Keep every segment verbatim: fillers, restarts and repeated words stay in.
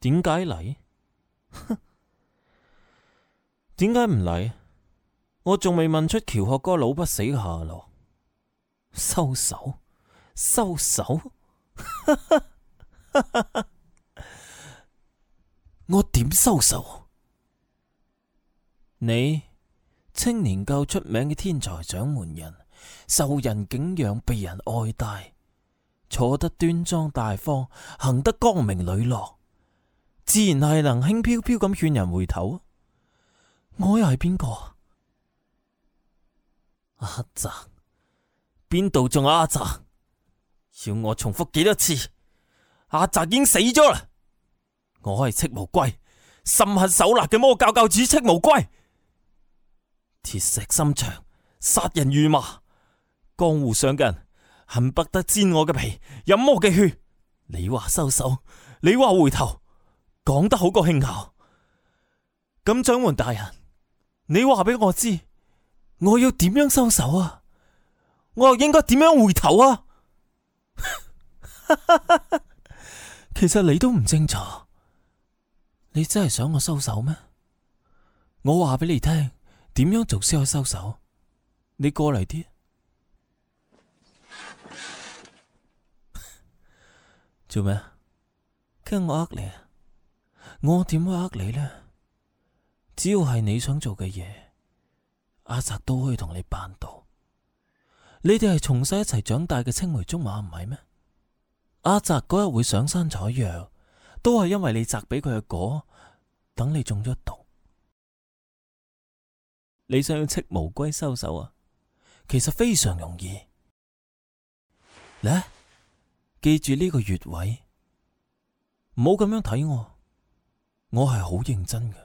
點解嚟？點解唔嚟？我仲未問出喬學哥老不死嘅下落。收手，收手。我點收手？你青年夠出名嘅天才掌門人，受人敬仰，被人愛戴，坐得端莊大方，行得光明磊落，自然係能輕飄飄咁勸人回頭。我又係邊個？阿澤？邊度仲有阿澤？要我重複幾多次？阿澤已經死咗啦！我係戚無歸，心狠手辣嘅魔教教主戚無歸，鐵石心腸，殺人如麻。江湖上嘅人恨不得煎我嘅皮，飲我嘅血。你話收手，你話回頭，講得好過輕巧。咁掌門大人，你話俾我知，我要點樣收手啊？我又應該點樣回頭啊？其實你都唔清楚，你真係想我收手咩？我話俾你聽，點樣做先可以收手？你過嚟啲。做咩？驚我呃你啊？我點會呃你呢？只要係你想做嘅嘢，阿澤都可以同你辦到。你哋係從細一齊長大嘅青梅竹馬唔係咩？阿澤嗰日會上山採藥，都係因為你摘俾佢嘅果，等你中咗毒。你想要戚無歸收手啊？其實非常容易。嚟，記住呢個穴位，唔好咁樣睇我，我係好認真嘅。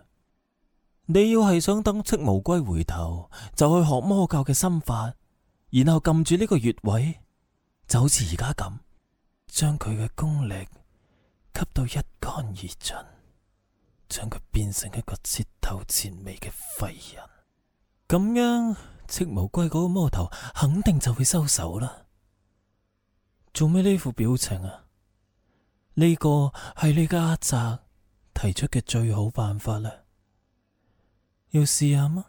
你要係想等戚無歸回頭，就去學魔教嘅心法，然後撳住呢個穴位，就好似而家咁，將佢嘅功力吸到一乾二盡，將佢變成一個徹頭徹尾嘅廢人。咁樣戚無歸嗰個魔頭肯定就會收手啦。做咩呢副表情啊？呢個係你嘅阿澤提出嘅最好辦法啦，要試下嗎？